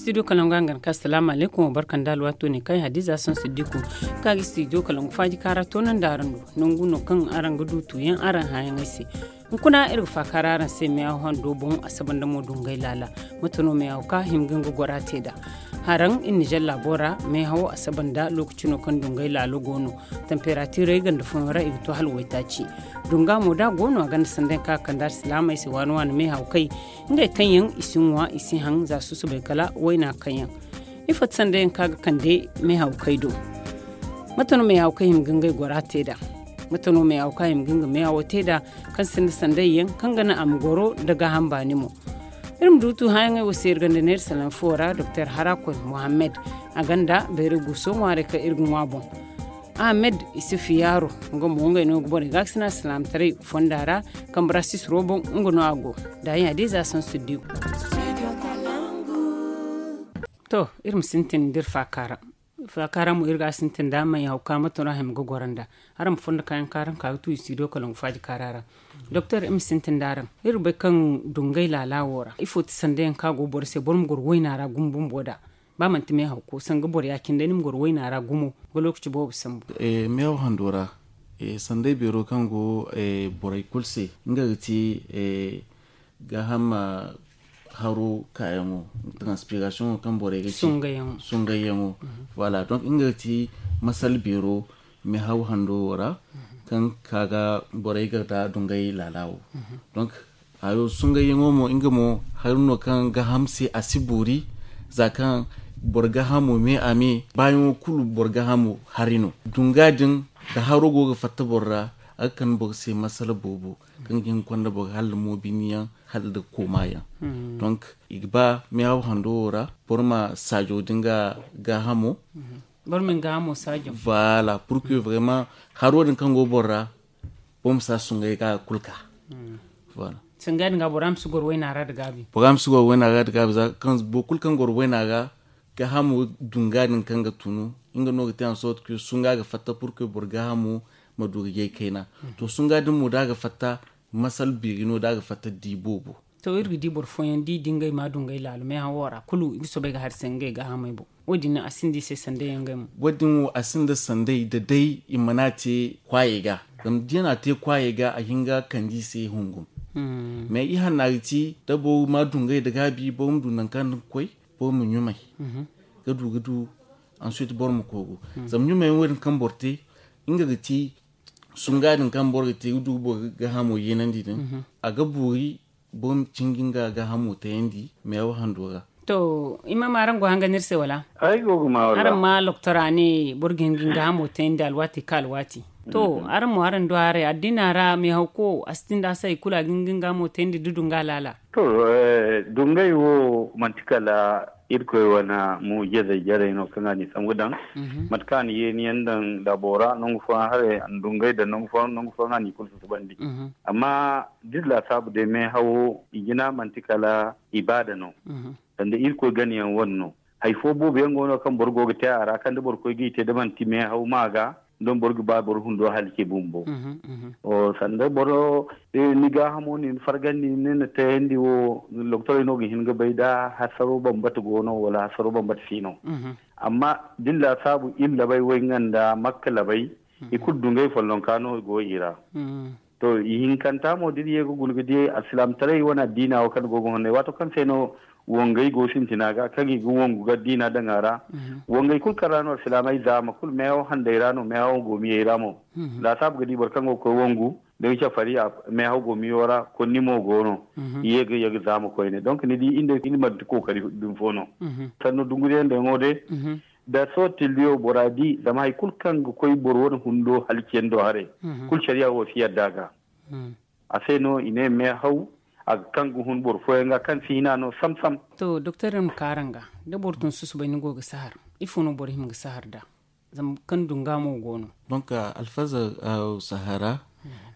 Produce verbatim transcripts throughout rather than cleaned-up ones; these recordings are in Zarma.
Studio kalangu a ga ni ka salaamu alaykum, wa barka nda alwaato ne kaŋ ay hadiza saŋ siddiku, ka ga studio kalangu faaji kaara toonandi araŋ do. Nangu no kaŋ araŋ ga du tuuyaŋ araŋ hãayaŋey se. Hunkuna iri ga faakaara araŋ se meehaw hando boŋ, a saba nda mo dungay laala. Mate no meehaw ka hima ga nga gora te nd'a? Haraŋ iri nizer laabo ra, meehawo a saba nda lookaci no kaŋ dungay laalo go no. Tamperatirey ganda fooyaŋ ra i ga to hala waytaaci. Dunga mo da a go no a ganda sanday kaŋ a kande alsilaamey se waani waani meehaw kay. Ngey kaŋ yaŋ i si ŋwa i si haŋ za susubay kala wayna kaŋ yaŋ. Ifo ti sanday yaŋ kaŋ a ga kande meehaw kay do? Mate no meehaw kay hima ga ngey gora te nd'a? Mate no meehaw kaŋ hima ga nga meehawo te nd'a? Kaŋ sinda sanday yaŋ kaŋ ga naŋ a ma goro nda gaaham baani mo. Iri ma du tu hãayaŋey wo se iri ganda neera salaŋ fo ra doktor harakoy mohammed, a ganda bayray guuso ŋwaarey kaŋ iri ga ŋwa boŋ. Ahmed isufu yaaro, nga mo ngey no ga borey gaakasina salaamataray fonda ra. Kambe ra sisiro boŋ nga no a go. Daayi hadiza saŋ siddiku. To, iri ma sintin da iri faakaara. Faakaara mo iri ga a sintin da meehaw ka mate no a hima ga goro nd'a? Araŋ ma fondo kaayaŋ kaara nga ka ga tu i studio kalangu faaji kaara ra. Doktor, iri ma sintin da araŋ, iri ga bay kaŋ dungay laala wo ra ifo ti sanday yaŋ kaŋ a go boro se boro ma goro wayna ra gumo bumbo nd'a? Ba manti meehaw ko sanga boro ya-cine day ni ma goro wayna ra gumo ga lookaci boobo sambu. Meehaw hando ra sanday beero kaŋ go borey kulu se, nga ga ti gaaham haro kaayaŋo, transpiraasiyoŋo kaŋ borey ga ci sungayyaŋo. Voilà, donc nga ga ti masal beero meehaw hando wo ra, kaŋ ka ga borey ga da dungay laala wo. Donc hayo sungayyaŋo mo nga mo hari no kaŋ gaaham se a si boori. Za kaŋ boro gaahamo me a me baayaŋo kulu boro gaahamo hari no. Dunga din da haro go ga fatta boro ra, a ga kande boro se masala boobo kaŋ ga hin ga konda boro hala moobiniyaŋ hala nda koomayaŋ. Donc i ga ba meehaw hando wo ra boro ma saajo din ga gaahamo. Boro ma ni gaahamo saajo. Voilà, pour que vraiment haro din kaŋ go boro ra boro ma si a sungay ga kulu ka. Sanga din ga bora ma si goro wayna ra da gaabi. Bora ma si goro wayna ra da gaabi za kaŋ boro kulu kaŋ goro wayna ra gaahamo dunga din kaŋ ga tunu, nga no ga te en sorte que sunga ga fatta pour que boro gaahamo ma du ga yay kayna. To sunga din mo da a ga fatta masal beeri no da a ga fatta di boobo. To iri ga di boro fooyaŋ da i di ngey ma dungay laalo meehawo ra kulu i ga soobay ga hari se ngey gaahamey boŋ. Wo- din no a sinda i se sanday yaŋ ngey mo. Wo- din wo a sinda sanday da day i mana te kwaayey ga. Zama da i na a te kwaayey ga a hin ga kande i se hungum. Mais i hanna ga ci da boro ma dungay da gaabi boro ma du nangu kaŋ ni ga koy, boro ma ɲumay ga du ga du. Ensuite boro ma koogu zama ɲumay yaŋ wo- din kaŋ boro te, nga ga ci sunga din kaŋ boro ga te ga du ga boro gaahamo yeenandi din. A ga boori boro ma cinji nga gaahamo tayandi meewa hando ra. To, imaama araŋ go hanga no iri se wala? Araŋ ma loktora ne boro ga hin ga nga gaahamo tayandi alwaati ka alwaati. To, araŋ mo araŋ du haray addina ra meehawko a si tinda a se hari kulu a ga hin ga nga gaahamo tayandi da dunga laala? To, dungay wo manti kala irkoy wane muujizey jarey no kaŋ a n'i sambu daŋ. Mate kaŋ a na yeeni yaŋ daŋ laabo ra nangu fooyaŋ haray a na dungay daŋ nangu fooyaŋ nangu fooyaŋ a n'i kulu susubandi. Amma da iri laasaabu day meehawo i jina manti kala ibaada no. Sanda irkoy gana yaŋ wane no. Hari fo boobo yaŋ go no kaŋ boro go ga te a ra kaŋ da boro koy ga i te da manti meehaw ma ga, don boro ga ba boro hundo halaci bumbo. Sanda boro ni gaahamo nin fargandi ni na tayandi wo, loktorey no ga hin ga bay da hasaro bambata go no wala hasaro bambata si no. Amma da ni laasaabu iri labay way nga nda makka labay, i kulu dungay follonka no go i ra. To, ihinkanta mo da iri ye ga guna ga di alsilaamataray wane addiina wo kaŋ go ga honnay waato kaŋ se no wangay go sintina ga kaŋ i ga wangu ga addiina daŋ a ra. Wangay kulu kaŋ ra no alsilaamay zaama kulu meehaw handay ra no meehaw go miyey ra mo. Laasaabu ga di boro kaŋ go ga koy wangu da nga cafari meehaw go miyo ra konni mo go no. I ye ga ye ga zaama koyne donc ni di iri manti kookari din fo no. Sanno dunguriyaŋ daŋo day da sohõ tilliyo bora di zama hari kulu kaŋ ga koy boro wane hundo halaciyaŋ do haray, kulu sariya wo si yadda a ga. A se no i ne meehaw a ga kaŋ ga hun boro fooyaŋ ga kaŋ si hina no sam-sam. To doktor iri ma ka araŋ ga da boro tun susubay ni go ga sahar, ifo no boro hima ga sahar nd'a? Zama kaŋ dunga mo go no. Donc alfaza sahara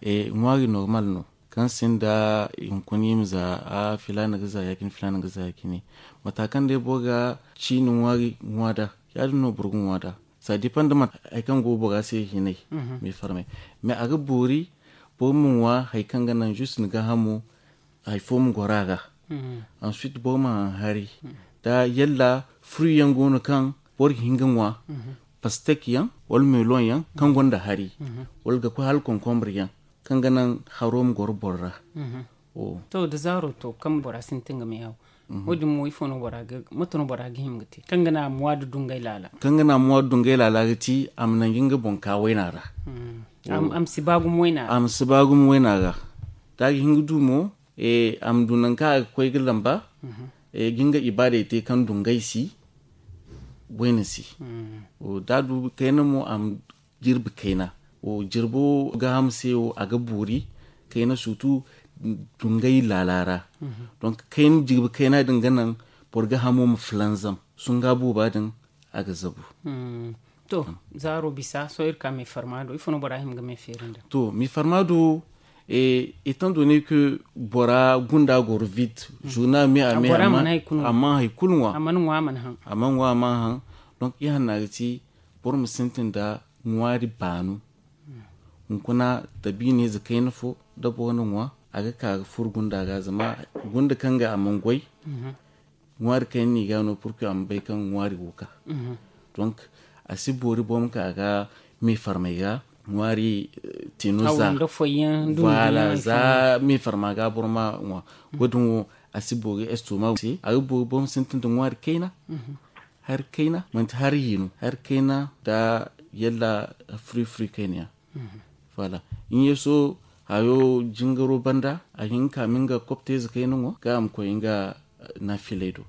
ŋwaari normal no kaŋ sinda hunkuna i ma za a filaana ga za ya- cine filaana ga za ya- cine. Mata kaŋ day boro ga ciini ŋwaari ŋwa nd'a, ya- din no boro ga ŋwa nd'a. Ça dépend da mate hari kaŋ go bora se hinay. Mais farmay mais a ga boori boro ma ŋwa hari kaŋ ga naŋ juste ni gaahamo hari fo ma goro a ra. Ensuite boro ma haŋ hari da yalla fruit yaŋ go no kaŋ boro ga hin ga ŋwa, pastek yaŋ wala melon yaŋ kaŋ gonda hari, wala ga koy hala concombre yaŋ kaŋ ga naŋ haro ma goro boro ra. To da zaaro to kaŋ bora sintin ga meehaw, wo- din mo ifo no bora ga mate no bora ga hima ga te kaŋ ga naŋ a ma ŋwa da dungay laala? Kaŋ ga naŋ a ma ŋwa da dungay laala ga ti a ma naŋ ga nga boŋ ka wayna ra. A ma si ba gumo wayna ra. Da a ga hin ga du mo, a ma du nangu kaŋ a ga koy ga lamba, ga nga ibaadey te kaŋ dungay si wayna si. Da a du kayna mo a ma jirbi kayna. Jirbo gaaham se wo a ga boori kayna surtout dungay laala ra. Donc kayna jirbi kayna din ga naŋ boro gaahamo ma filanzam sunga booba din a ga zabu. To zaaro bisa sohõ iri ka meefarma do ifo no bora hima ga meefeeri nda? To meefarma do, étant donné que bora gunda goro vide, journal me a me a mana hay kulu ŋwa, a mana ŋwa a mana haŋ. Donc ihanna ga ti boro ma sintin nda ŋwaari baanu. Hunkuna da biine ize kayna fo da boro na ŋwa a ga ka ga furo gunda ga zama gunda kaŋ ga a mana goy. Ŋwaari kayna no i ga no purkuy a ma bay kaŋ ŋwaari go ga ka. Donc a si boori boro ma ka ga meefarmay ga ŋwaari tino za. Voilà za meefarma ga boro ma ŋwa. Wo- din wo a si boori estoma se a ga boori boro ma sintin nda ŋwaari kayna. Hari kayna manti hari hino hari kayna da yalla furi furi kayna yaŋ. Voilà. Ɲeeso hayo jingaro banda a hin ka ma nga kopteze kayna ŋwa ga a ma koy nga naafilay do.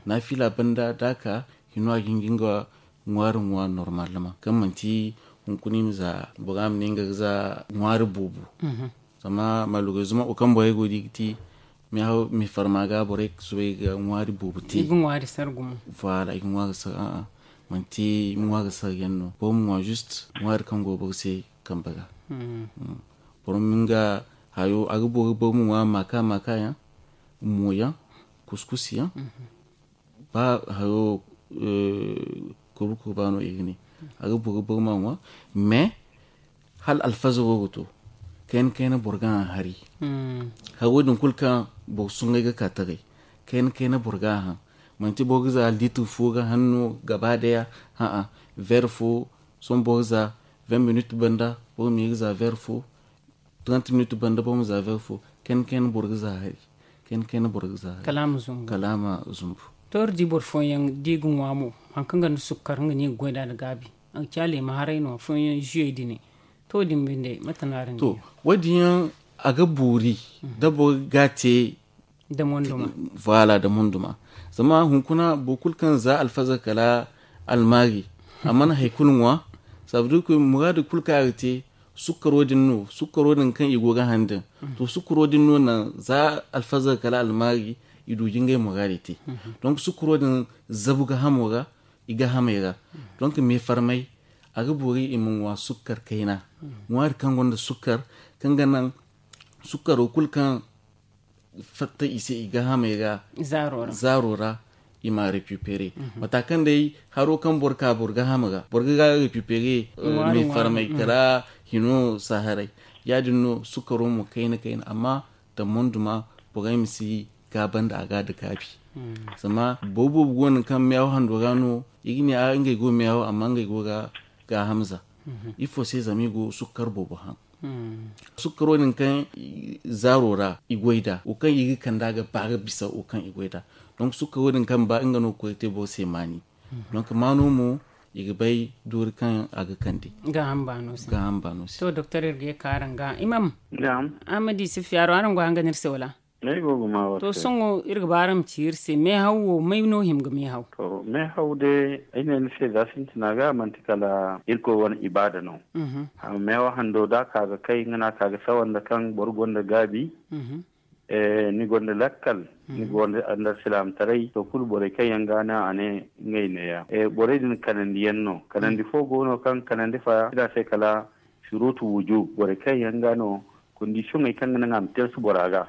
Naafila banda da a ka hino a ga hin ga nga ŋwaari ŋwa normalement kaŋ manti hunkuna i ma za bora ma ne nga ga za ŋwaari boobo. Zama malheureusement wo kaŋ borey go ga di ga ti meefarma ga borey ga soobay ga ŋwaari boobo te. Voilà i ga ŋwa ga sar a'a manti ŋwa ga sar yaŋ no boro ma ŋwa juste ŋwaari kaŋ go boro se kambe ga. Boro ma nga hayo a ga boori boro ma ŋwa maaka maaka yaŋ, mo yaŋ, kuskus yaŋ, ba hayo kurba kurba no i ga ne. A ga boori boro ma ŋwa mais hala alfazaro ga to kayna kayna boro ga haŋ hari. Hari wo- din kulu kaŋ boro suŋgay ga ka taray kayna kayna boro ga haŋ. Manti boro ga za litre fo ga haŋ no gaba daya. A'a, verre fo sohõ boro ga za vingt minutes banda boro ma ye ga za verre fo. Trente minutes banda boro ma za verre fo. Kayna kayna boro ga za hari. Kayna kayna boro ga za hari kala a ma zumbu. To iri di boro fooyaŋ da i ga ŋwa mo hari kaŋ gonda sukkar nga no i ga goy nd'a nda gaabi. A ga ci a leema haray no afooyaŋ jiyey din. To wo- din binde mate no araŋ ga ne? To wo- din yaŋ a ga boori da boro ga a te. Voilà da monduma. Zama hunkuna boro kulu kaŋ za alfazar kala almaari a mana hari kulu ŋwa. Ça veut dire que muraadu kulu kaŋ a ga te sukkaro din no sukkaro din kaŋ i go ga haŋ din. To sukkaro din no naŋ za alfazar kala almaari i du ga ngey muraadey te. Donc sukkaro din zabu gahamo ra i gahamey ra. Donc meefarmay a ga boori i ma ŋwa sukkar kayna. Ŋwaari kaŋ gonda sukkar kaŋ ga naŋ sukkaro kulu kaŋ fatta i se i gahamey ra zaaro ra i ma récupérer. Mata kaŋ day haro kaŋ boro ka boro gaham ra boro ga récupérer meefarmay kala hino saharay. Ya- din no sukkaro mo kayna kayna amma da monduma borey ma si gaaba nda a ga da gaabi. Zama boro boobo go no kaŋ meehaw hando ra no i ga ne ngey go meehaw amma ngey go ga gaaham za. Ifo se zama i go sukkar boobo haŋ. Sukkaro din kaŋ zaaro ra i goy nd'a wo kaŋ i ga kand'a ga ba ga bisa wo kaŋ i goy nd'a. Donc sukkaro din kaŋ ba nga no ga koy ga te boro se maani. Donc maano mo i ga bay doori kaŋ a ga kande. Gaaham baano se. To doktor iri ga ye ka araŋ ga imam. Araŋ ma di si fiyaaro araŋ go haŋ ga no iri se wala? To sohõ iri ga ba araŋ ma ci iri se meehaw wo may no hima ga meehaw? To meehaw day ay ne ni se za sintina ga manti kala irkoy wane ibaada no. Meehaw hando da a ka ga kay nga no a ka ga sawa nda kaŋ boro gonda gaabi. Ni gonda lakkal ni gonda nda alsilaamataray to kulu borey kaŋ yaŋ ga no a ne ngey neeya. Borey din kanandiyaŋ no kanandi fo go no kaŋ kanandi fa i ne a se kala surutu wujub borey kaŋ yaŋ ga no. Kondisiyoŋey kaŋ ga naŋ a ma teesu bora ga.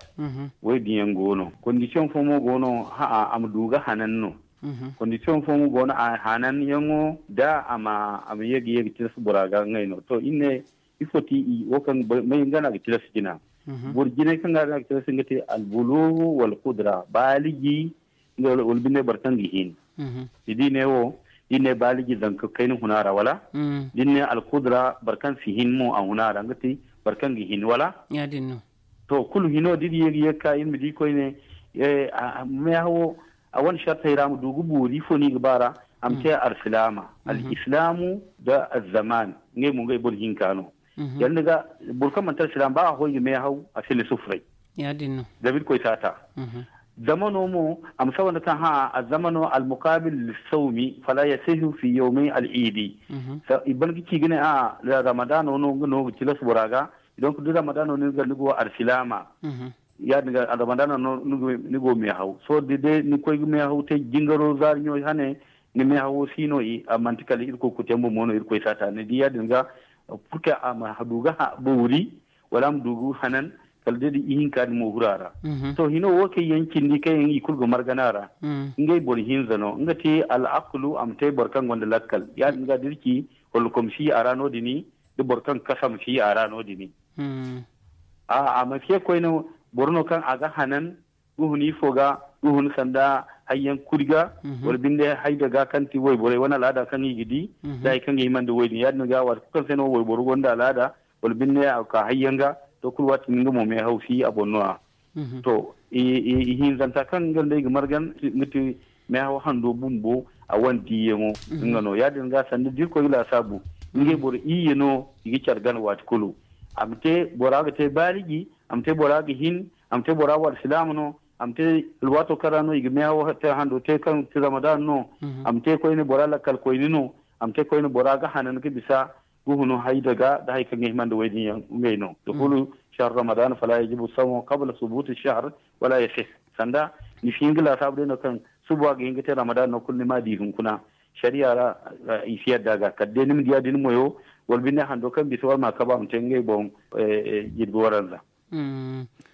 Wo- din yaŋ go no kondisiyoŋ fo mo go no a ma du ga hanan no. Kondisiyoŋ fo mo go no a hanan yaŋo da a ma ye ga ye ga teesu bora ga ngey no to iri ne ifo ti i wo kaŋ may nga no a ga tilas jina. Boro jinay kaŋ ga no a ga tilas nga te albulugu wala kudra baaliji. Wala binde boro kaŋ ga hin. Ni di ne wo, da i ne baaliji zanka kayna huna ra wala? Da i ne alkudra boro kaŋ si hin mo a huna ra nga ti boro kaŋ ga hin wala? To, kulu hino da iri ye ga ye ga ka iri ma di koyne. Meehawo a wane sartey ra ma du ga boori ifo no i ga ba ra? A ma te alsilaama. Al'islaamu nda alzamaan ngey mo ngey boro hinka no. Yadda ga boro kaŋ manti alsilaama ba a hoy ga meehaw a si ni sufuray. Zama irkoy si a ta. Zamano mo a ma saba nda kaŋ hã alzamano almukaabil lissawmi fala yasihu fi yawmay al'iidi. I ban ga ci ga ne a ramadaano no nga no ga tilas bora ga. Donc da ramadaano no ni go alsilaama, ya- din ga ramadaano no ni go meehaw sohõ da day ni koy ga meehaw te jingaro zaari ɲo hane. Ni meehawo si no a manti kala irkoy kutembo mo no irkoy si a ta ni di ya- din ga. Purke a ma du ga boori wala a ma du ga hanan kala day da ihinka din mo huru a ra. To hino wo kaŋ yaŋ cindi kaŋ yaŋ i kulu ga margana ra. Ngey boro hinza no nga te al'akulu a ma te boro kaŋ gonda lakkal ya- din ga da iri ci hollokom si a ra no- din. Da boro kaŋ kasam si a ra no- din. A ma si ye koyne boro no kaŋ a ga hanan ga hun ifo ga ga hun sanda hayyaŋ kuri ga wala binde hayda ga kaŋ ti wayborey wane alaada kaŋ i ga di da hari kaŋ ga hima nda way- din ya- din ga waati kulu kaŋ se no wayboro gonda alaada wala binde a ga ka hayyaŋ ga. To kulu waati din nga mo meehaw si a boŋ no- ya. To ihinzanta kaŋ nga nda i ga margan nga ti meehaw hando bumbo a wane diiyaŋo. Nga no ya- din ga sanda da irkoy ga laasaabu ngey boro iyye no i ga care gana waati kulu. A ma te bora ga te baaliji, a ma te bora ga hin, a ma te bora wo alsilaama no, a ma te alwaato kaŋ ra no i ga meehaw hando te kaŋ ti ramadan no. A ma te koyne bora lakkal koyne no. A ma te koyne bora ga hanan ga bisa ga hunu hayda ga da hari kaŋ ga hima nda way- din yaŋ ngey no. Dukulu shahar ramadan fala yajibu sawmu qabla subuti shahar wala yasih. Sanda ni si hin ga laasaabu day no kaŋ suba ga hin ga te ramadan no kulu ni ma di hunkuna. Sariya ra i si yadda ga kala day ni ma di ya- din moyo wala binde hando kaŋ bisa wala ma kabu a ma te ngey boŋ jirbi waranza.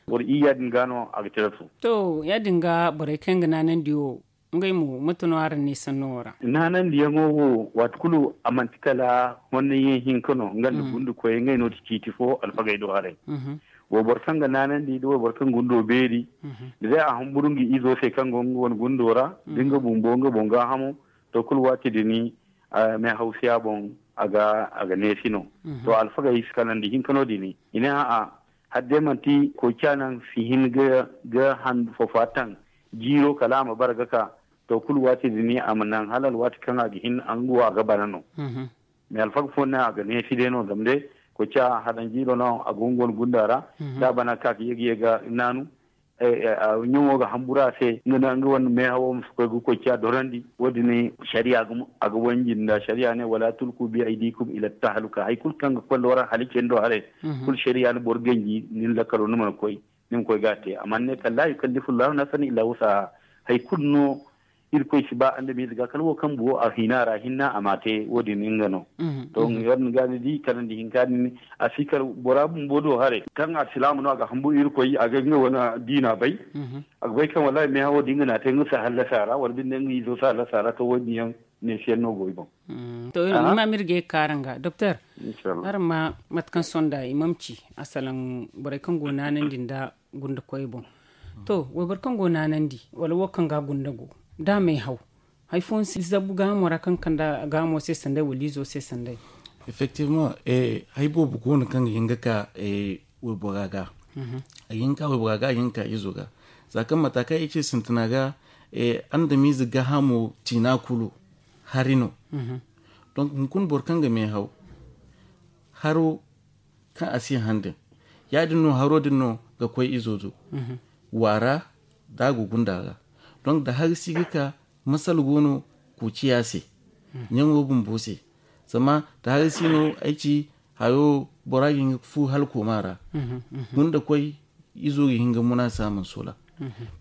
Boro iyya din ga no a ga tira tu. To ya- din ga borey kaŋ ga naanandi wo ngey mo mate no araŋ ne sanno wo ra? Naanandiyaŋo wo waati kulu a manti kala honnayaŋ hinka no nga nda gundu koyey ngey no ti ciiti fo alfagey do haray. Wayboro kaŋ ga naanandi da wayboro kaŋ gundo beeri da day a humburu nga izo se kaŋ go nga wane gundo ra da nga bumbo nga boŋ gaahamo. To kulu waati din meehawsiya boŋ a ga neesi no. To alfagey si kalandi hinka no- din i ne a'a hala day manti koyca naŋ si hin ga handu foofa taŋ jiiro kala a ma bara ga ka. To kulu waati din a ma naŋ hala alwaati kaŋ a ga hin a nga wo a ga bana no. Mais alfaga fooyaŋ ne a ga neesi day no zama day koyca hadan jiiro no a go nga wane gunda ra. Da a bana ga ka ga ye ga ye ga naanu ɲaŋo ga hamburu a se nga wane meehawo ma si koy ga koyca dorandi. Wo- din sariya a ga wanji nda sariya ne wala tulku bi aydikum ila tahaluka hari kulu kaŋ ga koy nda waraŋ halici yaŋ do haray. Kulu sariya na boro ganji ni na lakkalo ni mana koy ni ma koy ga a te a mana ne kala la yukallifu llahu nafsan illa wusaha. Hari kulu no irkoy si ba andamiize ga kala wo kaŋ buwo a hina ra hinna a ma a te wo- din nga no. To ya- din ga ni di kalandi hinka din a si kala bora bumbo do haray kaŋ alsilaama no a ga hambu irkoy a ga nga wane diina bay. A ga bay kaŋ wallahi meehawo da nga na a te nga si hallasa ra wala binde nga izo si hallasa ra to wo- din yaŋ neesiyaŋ no go i boŋ. To ni ma mirgey ga ka araŋ ga doktor. Araŋ ma mate kaŋ sonda i ma ma ci a salaŋ borey kaŋ go naanandi nda gunda koyey boŋ. To wayboro kaŋ go naanandi wala wo kaŋ ga gunda go da a may haw hari fooyaŋ si zabu gaahamo ra kaŋ kande gaahamo se sanday wala izo se sanday? Effectivement hari boobo go no kaŋ ga hin ga ka waybora ga. A ga hin ka waybora ga a ga hin ka izo ga za kaŋ mata kaŋ ay ce sintina ga andamiize gaahamo ciina kulu hari no. Donc hunkuna boro kaŋ ga meehaw haro kaŋ a si hande ya- din no haro din no ga koy izo do waara da a go gunda ra. Donc da hari si ga ka masala go no koociya se ɲaŋo bumbo se. Zama da hari si no ay ci hayo bora ga hin ga fu hala kooma ra gunda koy izo ga hin ga muna se a mana soola.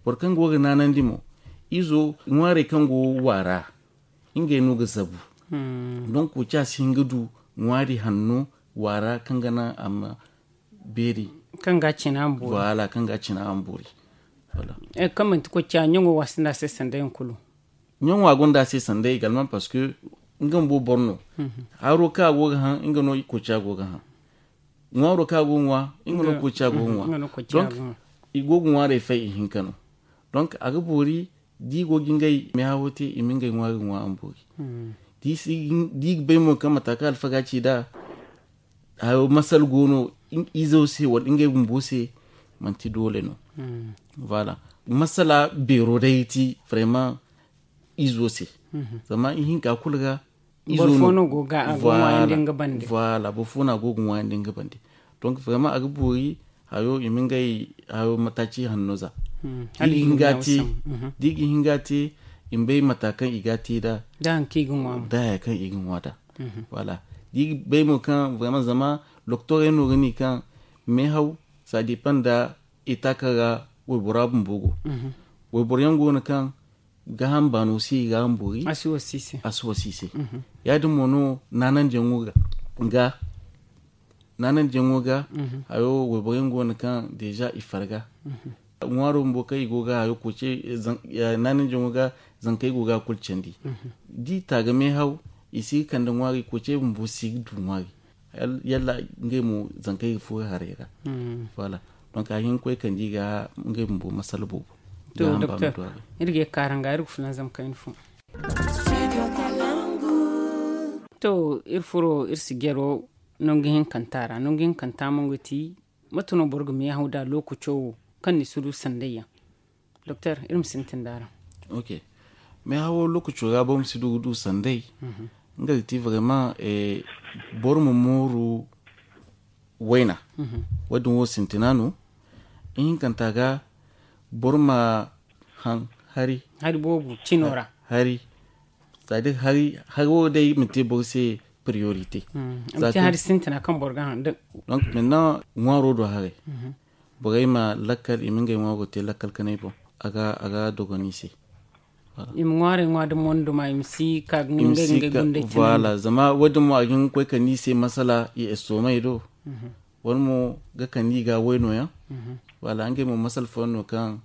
Boro kaŋ go ga naanandi mo izo ŋwaarey kaŋ go waara ngey no ga zabu. Donc koociya si hin ga du ŋwaari hanno waara kaŋ ga naŋ a ma beeri kaŋ ga a cina a ma boori. Voilà kaŋ ga a cina a ma boori. Kaŋ manti koociya ɲaŋo wa sinda a se sanday yaŋ kulu. Ɲaŋo a gonda a se sanday galman parce que nga bumbo boro no. Haro kaŋ a go ga haŋ nga no koociya go ga haŋ. Ŋwaaro kaŋ a go ga ŋwa nga no koociya go ga ŋwa. Donc i go ga ŋwaarey fay ihinka no. Donc a ga boori Da i go ga ngey meehawo te, i ma ngey ŋwa ga ŋwa a ma boori. Da i ga bay mo kaŋ mata kaŋ alfaga ci nd'a, hayo masala go no izo se wala ngey bumbo se, manti doole no. Voilà. Masala beero day ti vraiment izo se. Zama ihinka kulu ga izo no go ga a go ŋwaayandi nga bande. Voilà, boro fo no a go ga ŋwaayandi nga bande. Donc vraiment a ga boori hayo i ma ngey hayo mataaci hanno za. Da i ga hinga te, i ma bay mata kaŋ i ga te nd'a, da haya kaŋ i ga ŋwa nd'a. Voilà. Da i ga bay mo kaŋ vraiment zama lokotorey no ga ne kaŋ meehaw, ça dépend nda eta kaŋ ra waybora bumbo go. Wayboro yaŋ go no kaŋ gaaham baano se i ga a ma boori, a si wasi i se. Ya- din mo no naanandiyaŋo ga naanandiyaŋo ga hayo wayboro yaŋ go no kaŋ déjà i farga. Ŋwaaro bumbo kaŋ i go ga hayo koce naanandiyaŋo ga, zankey go ga a kulu candi. Da i ta ga meehaw, i si ga kande ŋwaari, koce bumbo si ga du ŋwaari. Yalla ngey mo zankey ga furo haray ra. Voilà. Donc a hin ga koy kande i ga ngey bumbo masala boobo. To docteur, iri ga ye ga kaaran ga iri ga fulanzam kayna fo. To iri furo iri si jaro nangu hinkanta ra. Nangu hinkanta mo ga ti mate no boro ga meehaw nd'a lokaco wo kaŋ ni si du sanday yaŋ? Doktor, iri ma sintin d'araŋ. Ok. Meehawo lokaco ra boro ma si du ga du sanday. Nga ga ti vraiment boro ma mooru wayna. Wo- din wo sintina no. Ihinkanta ga boro ma haŋ hari. Hari boobo cino ra. Hari. C'est à dire hari hari wo day ma te boro se priorité. Hari sintina kaŋ boro ga haŋ. Donc maintenant ŋwaaro do haray. Borey ma lakkal i ma ngey ŋwaaro te lakkal kanay boŋ. A ga dogon i se. I ma ŋwaarey ŋwa da monduma i ma si ka ga ngey gundey. Voilà, zama wo- din mo a ga hin ga koy kande i se masala i estomay do. Wala mo ga kande i ga wayno yaŋ. Voilà, ngey mo masala fooyaŋ no kaŋ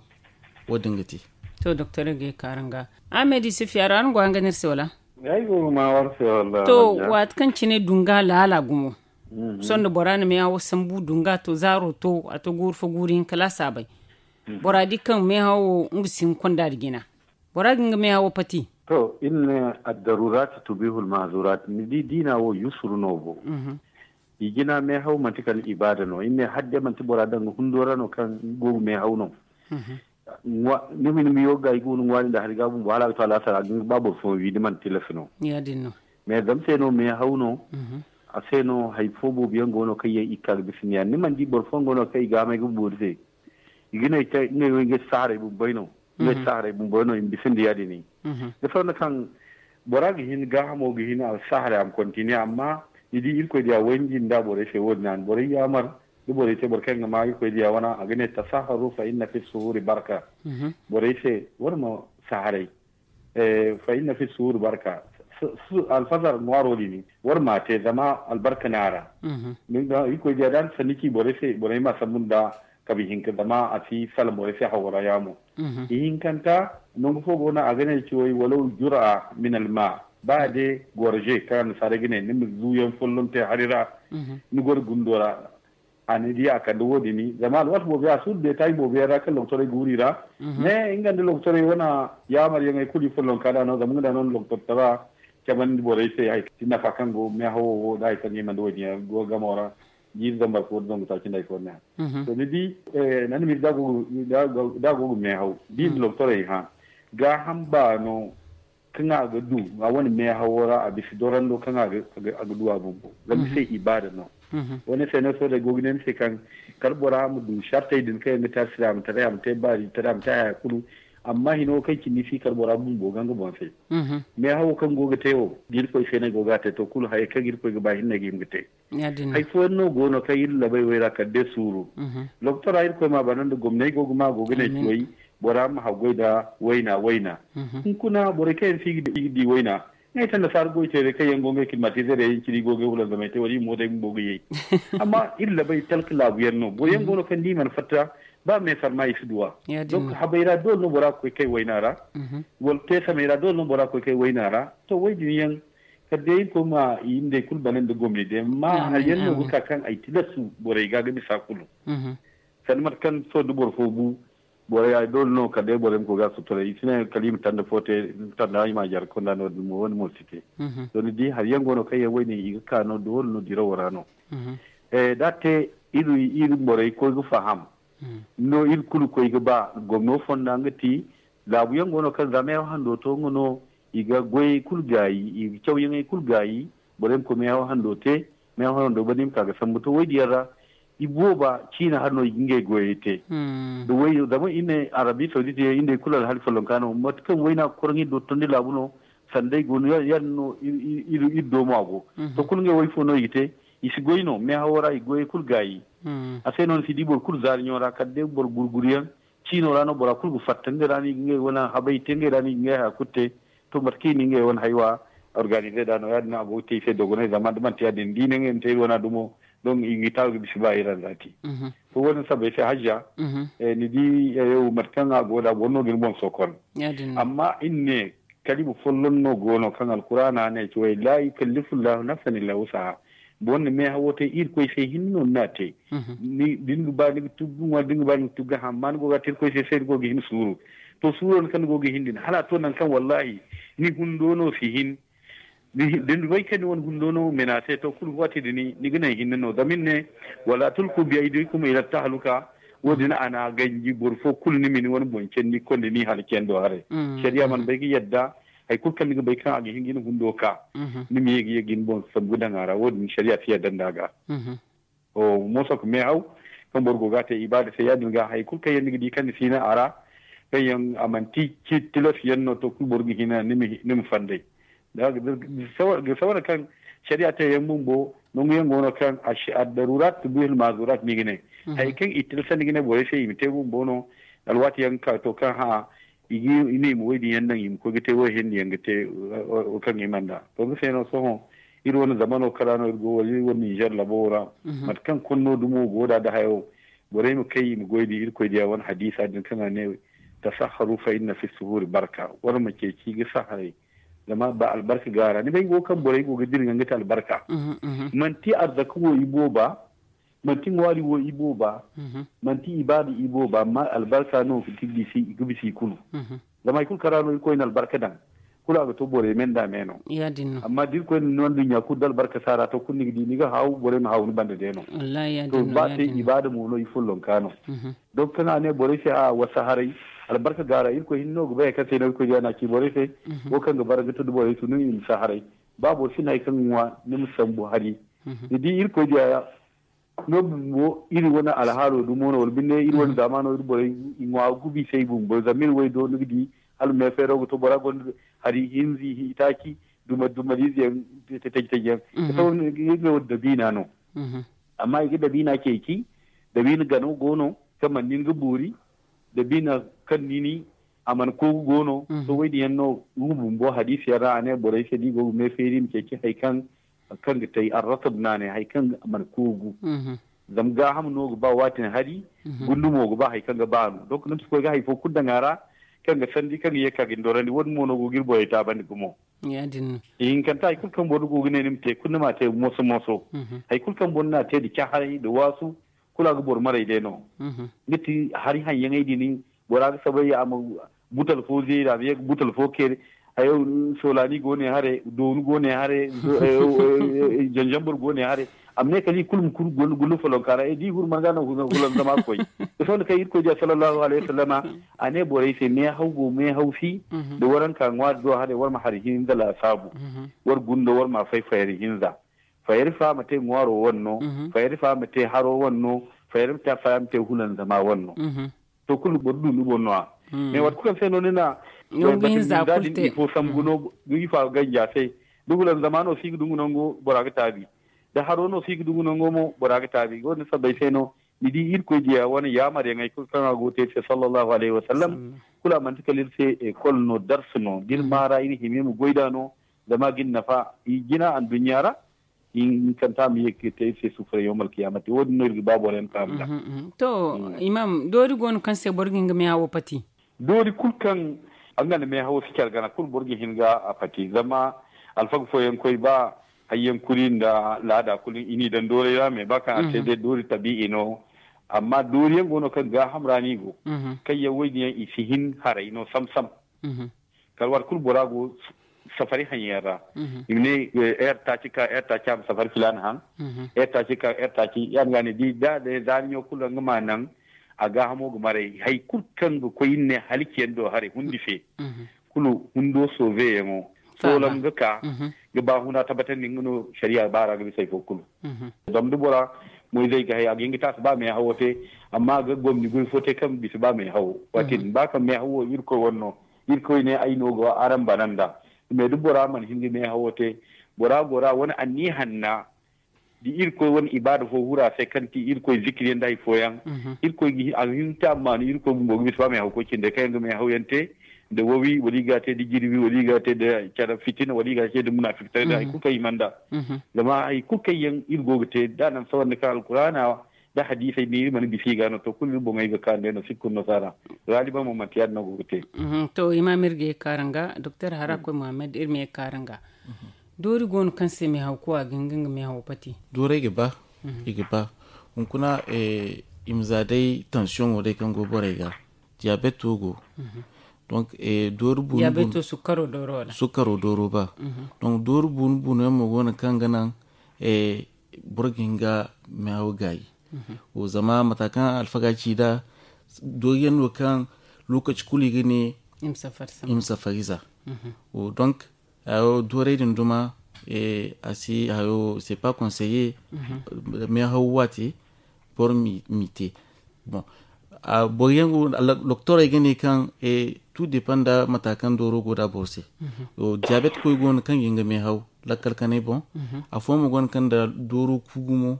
wo- din ga te. To doktor ga ye kaaraŋ ga. Ahmed isufi araŋ go araŋ ga ne iri se wala? Ay go ga ma war se wala? To waati kaŋ cine dunga laala gumo. Sohõ da bora na meehawo sambu dunga to zaaro to a to guuru fo guuru hinka laasa bay. Bora di kaŋ meehawo nga si hin konda da jina. Bora ga nga meehawo pati. To iri ne, addarurati tubihul mahzurati. Ni di diina wo yusuru no bo. I jina meehaw manti kala ibaada no. Iri ne hadde manti bora daŋ ga hundo ra no kaŋ go ga meehaw no. Ni ma ni ma yo ga i go no ŋwaari nda hari ga bumbo hala a ga to alaasara a ga nga ba boro fooyaŋ wi ni mana tilas no. Mais zama se no meehaw no. A se no hari fo boobo yaŋ go no kaŋ yaŋ i ga ka ga bisa ni yaŋ ni mana di boro fooyaŋ go no kaŋ i ga a may ga boori se. I ga ne ngey wo ngey si saharay bumbey no. Ngey si saharay bumbey no i ma bisa nda ya- din. Da fonda kaŋ bora ga hin gaahamo ga hin a si saharay a ma kontiniye amma ni di irkoy diya wayndi nda borey se wo- din a na borey yaamar da borey te boro kaŋ ga ma irkoy diya wana a ga ne tasaharu fa inna fi suhuri barka. Borey se war ma saharay. Fa inna fi suhuri barka. Alfazar ŋwaaro din war ma te zama albarka no a ra. Irkoy diya da a na sanni ci borey se borey ma sambu nda kabi hinka zama a si salaŋ borey se hawo ra yaamo. Ihinkanta nangu fo go no a ga ne ciwey walaw jur'a min alma. Ba day gorje kaŋ annasaarey ga ne ni ma zuuyaŋ folloŋ te hari ra. Ni goro gundo ra. A ni di a kande wo- din zama alwaati boobo yaŋ a suuru deetaay boobo yaŋ ra kaŋ lokotorey guuru i ra. Mais nga nda lokotorey wane yaamaryaŋey kulu i follonka nd'a no zama nga nd'a no na lokotortara camandi borey se hari kaŋ ti nafa kaŋ go meehawo wo nda hari kaŋ i mana wo- din yaŋ go gamo ra. Jiiri zambar fo nda zangu taaci nda hari fo ne. To ni di nda ni ma iri da a go ga meehaw da i na lokotorey hã gaaham baano kaŋ a ga du a wane meehawo ra a bisa dorando kaŋ a ga du a bumbo zama ni se ibaada no. Wane se no sohõ day go ga ne ni se kaŋ kala bora ma du sartey din kaŋ yaŋ ga te alsilaamataray a ma te baari taray a ma te haya kulu. Amma hino wo kaŋ cindi si kala bora bumbo ga nga boŋ se. Meehawo kaŋ go ga te wo da irkoy se no ay go ga a te to kulu hayey kaŋ irkoy ga ba hinne ga hima ga te. Hari fooyaŋ no go no kaŋ iri labay wo ay ra kala day suuru. Lokotora irkoy ma a bana nda gomnay go ga ma a go ga ne ci way bora ma haggoy nda wayna wayna. Hunkuna borey kaŋ yaŋ se i ga di wayna ngey te annasaara goy teerey kaŋ yaŋ go ngey kilmatizerey yaŋ cine i go ga ay hulanzamay te wala i mootey bumbo ga yay. Amma iri labay talka laabu yaŋ no boro yaŋ go no kaŋ da i mana fatta ba meesar ma i si duw'a. Donc habay ra doole no bora ga koy kay wayna ra. Wala teesamey ra doole no bora ga koy kay wayna ra. To way- din yaŋ kala day irkoy ma i nda ay kulu bana nda gomni day amma hari yaŋ no ga ka kaŋ ay tilasu borey ga ga bisa kulu. Sanda mate kaŋ sohõ da boro fo bu Borey ya doole no kala day borey ma koy ga sutura, i si ne kala i ma tanda fo te, tanda i ma a jare konda no-din mo, wo-din mo si te. Zama ni di hari yaŋ go no kaŋ yaŋ wayne i ga ka no doole no dirawo ra no. Da a te iri borey koy ga faham no, iri kulu koy ga ba gomno fonda nga ti laabu yaŋ go no kaŋ za meehaw hando to nga no, i ga goyey kulu gaayi, i ga cawyaŋey kulu gaayi. Borey ma koy meehaw hando te, meehaw hando banda i ma ka ga sambu to woy diyaŋ ra. I booba ciina hari no i ga ngey goyey te. Da woy zama i ne Arabi Saudite yaŋ i nd'ey kulu alhali follonka no, mate kaŋ wayna ga koroŋ iri do tondi laabu no, sanday go no, ya- yaadin no iri iri doomo a go. To kulu ngey woy fo no i ga te, i si goy no meehawo ra, i goyey kulu gaayi. A se no ni si di boro kulu zaari ɲo ra kala day boro gurguriyaŋ ciino ra no bora kulu ga fatta ngey ra no i ga ngey wane habay te, ngey ra no i ga ngey haya kulu te. To mate kaŋ i na ngey wane haywa organize da no, yaadin no a go ga te i se dogonay, zama da manti yaadin da i ne ngey ma te iri wana dumo, donc i ga taaru ga bisa ba iri anza te. To wo-din sabbay se hajja, ni di, mate kaŋ a go da boro no ga ni boŋ sokon. Amma iri ne, kalima folloŋ no go no kaŋ alkuraana ne ci way la yukallifu llahu nafsan illa wusaha. Boro na meehawo te, irkoy se hinne no ni n'a te. Da ni ga ba ni ga tuggu ŋwa, da ni ga ba ni ga tuggu hamma ni go ga te irkoy se se ni go ga hin suuru. To suuro ni kaŋ ni go ga hin din hala a to nangu kaŋ wallahi ni hundo no si hin. Da ni bay kaŋ ni wane hundo no mena se to kulu waati din ni ga naŋ hinne no zama ni ne, wala tulku bi aydikum ila tahaluka. Wo-din a na a ganji boro fo kulu ni ma ni wane boŋ candi konda ni halaciyando haray. Sariya mana bay ga yadda hari kulu kaŋ ni ga bay kaŋ a ga hin ga ni hundo ka, ni ma ye ga ye ga ni boŋ sambu daŋ a ra, wo-din sariya si yadda nd'a ga. Mooso ga meehaw kaŋ boro go ga a te ibaada se, yaadin ga hari kulu kaŋ yaŋ ni ga di kaŋ ni si naŋ a ra, kaŋ yaŋ a manti tilas yaŋ no to kulu boro ga hin ni ma fanday. Ga sawara kaŋ sariya te yaŋ bumbo nangu yaŋ go no kaŋ addarurat tubihul mazurat no i ga ne. Hari kaŋ i tilasandi ga ne borey se i ma te bumbo no. Alwaati yaŋ ga ka to kaŋ hã i ne i ma woy din yaŋ naŋ i ma koy ga te woy hinne yaŋ ga te kaŋ i mana da to nga se no sohõ iri wane zamano kala no iri go wala iri wane ninzeer labo ra. Mate kaŋ konno dumo go da da hayo borey ma kay i ma goy din irkoy diya wane hadiisa din kaŋ a ne, tasahharu fa inna fi suhuri barka. War ma ceeci ga saharay zama ba albarka ga a ra ni bay go kaŋ borey go ga dira nga ga te albarka. Manti arzaka wo i booba, manti ŋwaari wo i booba, manti ibaada i booba amma albarka no ga bisa i kulu. Zama hari kulu kaŋ ra no irkoy na albarka daŋ kulu a ga to borey me nda me no. Amma da irkoy na ni no nduɲɲa kulu da albarka si a ra to kulu ni ga di ni ga haaw borey ma haaw ni banda day no. To ba te ibaada mo no i follonka no. Donk kaŋ a ne borey se a wasa haray albarka ga a ra irkoy hinne no ga bay hari kaŋ se no irkoy diya no a ci borey se. Wo kaŋ ga bara ga to da borey tunu i ma si haray. Ba boro si na hari kaŋ ga ŋwa ni ma sambu hari. Ni di irkoy diya no bumbo iri wane alhaalo dumo no wala binde iri wane zaamaano iri borey i ŋwa gubi se i bumbo zama iri way do ni ga di hala meefeero ga to bora gonda hari hinzi itaaci duma dumaliize yaŋ taji taji yaŋ. Iri ne wo dabiina no. Amma i ga dabiina ceeci, dabiina gano go no kaŋ mana nin ga boori. Dabiina kaŋ nini a mana koogu go no. To woy din yaŋ no nga bumbo hadiisi yaŋ ra a ne borey se da i go ga meefeeri i ma ceeci hari kaŋ kaŋ ga tay arrasab no a ne hari kaŋ mana koogu. Zama gaaham no ga ba waatin hari. Gundu mo ga ba hari kaŋ ga ba no donk ni ma si koy ga hari fo kulu daŋ a ra kaŋ ga sandi kaŋ ga ye ka ga ni dorandi wo- din mo no go ga iri borey taabandi gumo. Ihinkanta hari kulu kaŋ boro go ga ne ni ma te kulu ni ma a te moso moso. Hari kulu kaŋ boro na a te nda caharay nda waasu kulu a ga boro maray day no. Nga ti hari haŋyaŋey din bora ga sabay a ma butal fo zeeri a ma ye ga butal fo kere. Hayo soolani go ne hare dooni go ne hare janjambur go ne hare. A ma ne kala i kulu ma kuru gullu folonka ra da i huru man ga no hulan zama koy. Ga sohõ da kaŋ irkoy diya sallallahu alayhi wasallama a ne borey se meehaw go meehaw si. Da waranka ŋwaari do hare war ma hari hinza laasaabu. War gunda war ma fay fayri hinza. Fayri fa ma te ŋwaaro wane no. Fayri fa ma te haro wane no. Fayri fa ma te hulanzama wane no. To kulu boro du ni boŋ no a. Mais waati kulu kaŋ se no ni na bati ninza din ifo sambu no ifo a ga ganji a se. Da hulanzama no si ga dungu nango bora ga taabi. Da haro no si ga dungu nango mo bora ga taabi wo- din sabbay se no ni di irkoy diya wane yaamaryaŋey kulu kaŋ a go ga te iri se sallallahu alayhi wasallam. Kulu a manti kala iri se ekol no darsu no da iri maara iri hima iri ma goy nd'a no. Zama a ga iri nafa i jina anduɲɲa ra. Ihinkanta a ma ye ga te iri se sufuray yawmal kiyaamati wo- din no iri ga ba boro yaŋ faham nd'a. To imam doori go no kaŋ se boro ga hin ga meehawo pati? Doori kulu kaŋ a nga nda meehawo si care gana kulu boro ga hin ga a pati zama alfaga fooyaŋ koy ba hayyaŋ kuri nda laada kulu i n'i daŋ doorey ra mais ba kaŋ a te day doori tabi'i no. Amma dooriyaŋ go no kaŋ gaaham ra no i go. Kaŋ yaŋ wo- din yaŋ i si hin haray no sam-sam. Kala waati kulu bora go safari haŋyaŋ ra. I ma ne heure taaci ka heure taaci a ma safari filaana haŋ. Heure taaci ka heure taaci ya- din ga a ne da a ne zaari ɲo kulu ra nga ma a naŋ. A gaahamo ga maray hari kulu kaŋ ga koy iri ne halaciyaŋ do haray hundi fe. Kulu hundo sooveyaŋo soolam ga ka ga baahuna tabbatandi nga no sariya baara ga bisa hari fo kulu. Zama da bora moyzey ga hay a ga hin ga te a si ba meehawo te. Amma a ga gomni goy fo te kaŋ bisa ba meehawo waati din ba kaŋ meehawo irkoy wane no. Irkoy ne ay no ga araŋ bana nd'a. Mais da bora mana hin ga meehawo te bora go ra wane anniya hanna da irkoy wane ibaada fo huru a se kaŋ ti irkoy zikiriyaŋ nda hari fooyaŋ. Irkoy ga hin a ga hin ga te a ma maanu irkoy bumbo ga bisa ba meehaw koy cindey kaŋ yaŋ ga meehawyaŋ te nda wawi wala i ga a te nda jirbi wala i ga a te nda care fitina wala i ga a te nda munaafik tara nda hari kulu kaŋ i mana nda. Zama hari kulu kaŋ yaŋ iri go ga te da a naŋ sawandi kaŋ alkuraana nda hadiisey no iri mana bisa i ga no to kulu iri boŋey ga kaanu day no sirkun nasaara. Gaaliban mo manti ya- din no go ga te. To imaam iri ga ye ga kaaru nga doktor hara koy muhammad iri ma ye ga kaaru nga. Doori go no kaŋ se meehaw koy a ga hin ga nga meehawo pati? Doorey ga ba. I ga ba. Hunkuna i ma za day tansiyoŋo day kaŋ go borey ga. Diyabeto go. Donc doori bunu bunu sukkaro dooro ba. Donc doori bunu bunu yaŋ mo go no kaŋ ga naŋ boro ga hin ga meehaw gaayi. Zama mata kaŋ alfaga ci nd'a doori yaŋ no kaŋ lokaci kulu i ga ne i ma safari za. Donc hayo doorey din duma a si hayo c'est pas conseillé. Meehaw waate boro m'i te. Bon boro yaŋ go doktorey ga ne kaŋ tout dépend nda mata kaŋ dooro go nda boro se. Diabète koy go no kaŋ ga hin ga meehaw lakkal kanay boŋ. Afooyaŋ mo go no kaŋ nda dooro ku gumo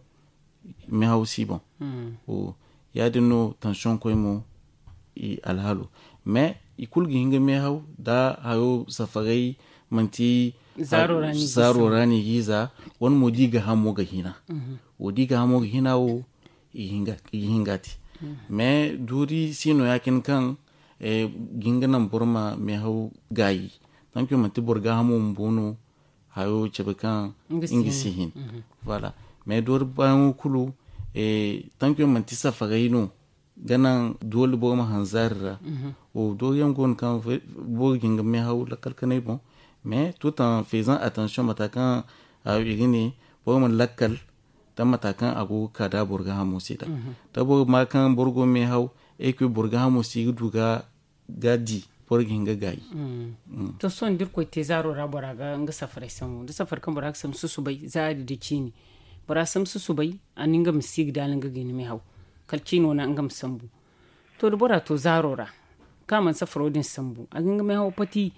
meehaw si boŋ. Ya- din no tansiyoŋ koy mo i alhaalo mais i kulu ga hin ga meehaw nda hayo safaray manti zaaro ra no i ga i za. Wane mo da i ga hamo ga hina wo da i ga hamo ga hina wo i ga hin ga a te. Mais doori si no ya- cine kaŋ ga hin ga naŋ boro ma meehaw gaayi. Tankiyo manti boro gaahamo bumbo no hayo cabe kaŋ nga si hin. Voilà. Mais doori baayaŋo kulu tankiyo manti safaray no ga naŋ doole boro ma hanzaari ra. Doori yaŋ go no kaŋ boro ga hin ga meehaw lakkal kanay boŋ mais tout en faisant attention mata kaŋ hayo i ga ne boro ma lakkal da mata kaŋ a go ga ka da boro gaahamo se da. Da boro ma kaŋ boro go meehaw ay koy boro gaahamo se i ga du ga ga di boro ga hin ga gaayi. To sohõ da irkoy te zaaro ra bora ga nga safaray sambu da safari kaŋ bora ga sambu susubay zaari nda ciini. Bora sambu susubay a na nga ma si ga daala nga ga hin ga meehaw kala ciino na nga ma sambu. To da bora to zaaro ra kaŋ a mana safaro din sambu a ga hin ga meehaw pati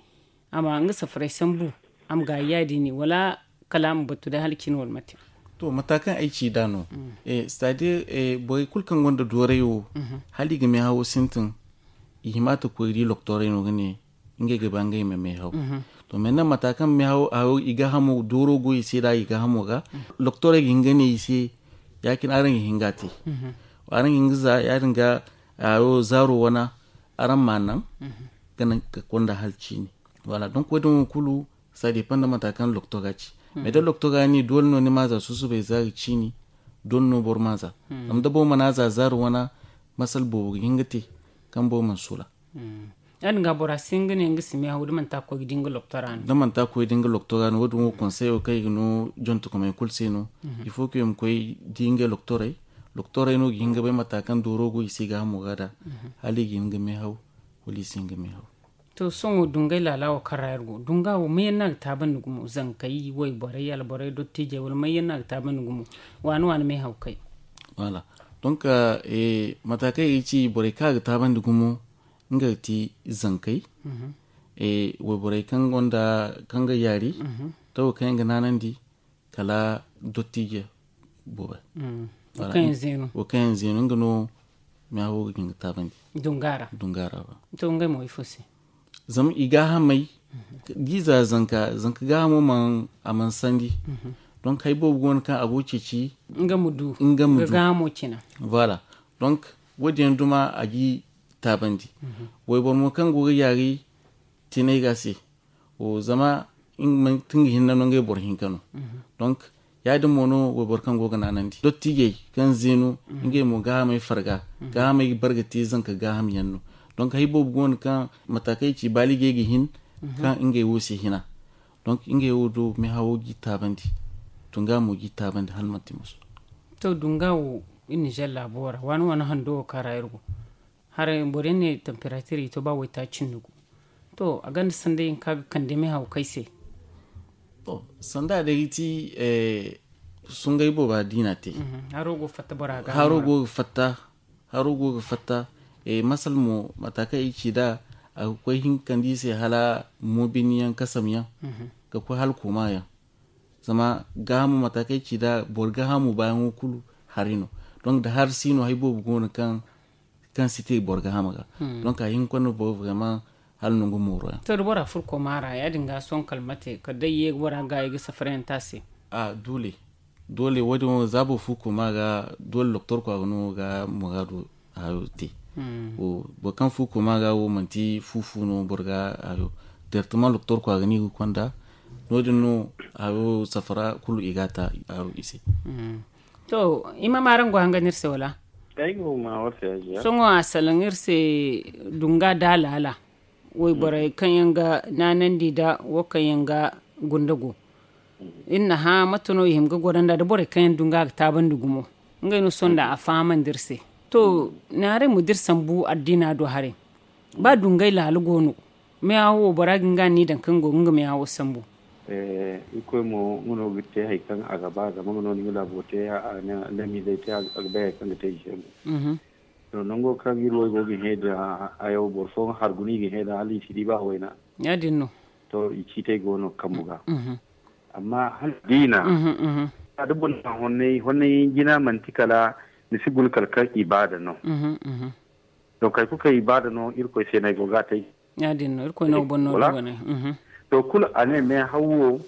a ma nga safaray sambu a ma gaayi ya- din ne wala kala a ma batu day hala cine wala mate? To mata kaŋ ay ci nd'a no c'est à dire borey kulu kaŋ gonda dooray wo hala i ga meehawo sintin i hima ta koy di loktoray no ga ne ngey ga ba ngey ma meehaw. To mais naŋ mata kaŋ meehaw hayo i gaahamo dooro go i se da i gaahamo ga loktoray ga hin ga ne i se ya- cine araŋ ga hin ga a te. Araŋ ga hin ga za ya- din ga hayo zaaro wana araŋ ma a naŋ ga naŋ ga konda hala ciine. Voilà donc wo- din wo kulu ça dépend nda mata kaŋ loktora ci. Mais da loktora ne doole no ni ma za susubay zaari ciini doole no boro ma za. Zama da boro mana za zaari wana masala boobo ga hin ga te kaŋ boro mana sula. Ya- din ga bora si hin ga ne nga si meehaw da manti a koy ga di nga loktora no. Da manti a koy ga di nga loktora no wo- din wo konseyo kaŋ i ga no jontokomey kulu se no. Il faut que i ma koy di ngey loktoray. Loktoray no ga hin ga bay mata kaŋ dooro go i se gaahamo ga da hala i ga hin ga meehaw wala i si hin ga meehaw. To sohõ dungay laala wo kaŋ ra iri go dunga wo mayaŋ no a ga taabandi gumo zankey wayborey alborey dottiijey wala mayaŋ no a ga taabandi gumo? Waani waani meehawkey. Voilà. Donc mata kaŋ i ga ci borey kaŋ a ga taabandi gumo nga ga ti zankey. Wayborey kaŋ gonda kaŋ ga yaari tawo kaŋ yaŋ ga naanandi kala dottiije boobay. Wo kaŋ yaŋ zeenu nga no meehawo ga hin ga taabandi dunga ra. Dunga ra ba. To ngey mo ifo se? Zama i gaahamey da i za zanka zanka gaahamo man a man sandi. Donc hari boobo go no kaŋ a go ga ceeci nga ma du nga ma du gaahamo cina. Voilà. Donc wo- din yaŋ duma a g'i taabandi. Wayboro mo kaŋ go ga yaari tinay ga se zama nga manti nga hinne no ngey boro hinka no. Donc Ya- din mo no wayboro kaŋ go ga naanandi dottijey kaŋ zeenu, ngey mo gaahamey farga. Gaahamey ga barga te zanka gaaham yaŋ no. Donc hay boobo go no kaŋ mataakey ci baaligey ga hin kaŋ ngey wo se hina. Donc ngey wo do meehawo g'i taabandi, dunga mo g'i taabandi hala manti musu. To, dunga wo iri nizer laabo ra waani waani hando wo kaŋ ra iri go. Haray boro yaŋ ne temperature i to ba waytaaci nda gu. To, a gonda sanda yaŋ kaŋ a ga kande meehaw kay se. To, sanda day ga ti sungay booba diina te. Haro go ga fatta bora ga haro go ga fatta. Haro go ga fatta. Masal mo mata kaŋ i ci da a ga koy hinkandi se hala mobiniyaŋ kasamyaŋ ga koy hala koma yaŋ. Zama gaahamo mata kaŋ i ci da boro gaahamo baayaŋo kulu hari no. Donc da hari si no hay boobo go no kaŋ kaŋ si te boro gaahamo ga. Donc a hinka no boro vraiment hala nangu mooro yaŋ. To da bora furko maara ya- din ga sohõ kala mate kala day ye bora ga i ga safarayaŋ te a se. A doole doole wo- din wo za boro fu koma ga doole doktor kwaga no ga muraadu hayo te. Boro kaŋ fu koma ga wo manti fu fu no boro ga hayo. Directement doktor kwaga no i ga konda no- din no hayo safara kulu i ga ta hayo i se. To i ma maarango hanga no iri se wala? Sohõ a salaŋ iri se dunga da laala wayborey kaŋ yaŋ ga naanandi nda wo kaŋ yaŋ ga gunda go. Iri na hã mate no i hima ga goro nda da borey kaŋ yaŋ dunga ga taabandi gumo. Ngey no sohõ nda a fahamandi iri se. To, naaray ma da iri sambu addiina do haray. Ba dungay laala go no meehawo wo bora ga nga ni daŋ kaŋ go ga nga meehawo sambu. Irkoy mo nga no ga te hari kaŋ a ga ba zama nga no ni ga laabo te. Lamizey te a ga bay hari kaŋ ga te i se mo. To nango kaŋ iri wo go ga hẽ da hayo boro fooyaŋ harguna i ga hẽ da hala i si di ba wayna. Ya- din no. To i ciitey go no kambu ga. Amma hala diina da boro na honnay honnay jina manti kala ni si guna kala kaŋ ibaada no. Donc hari kulu kaŋ ibaada no irkoy se no ay go ga a te. Ya- din no irkoy no boro no dogonay. To kulu a ne meehaw wo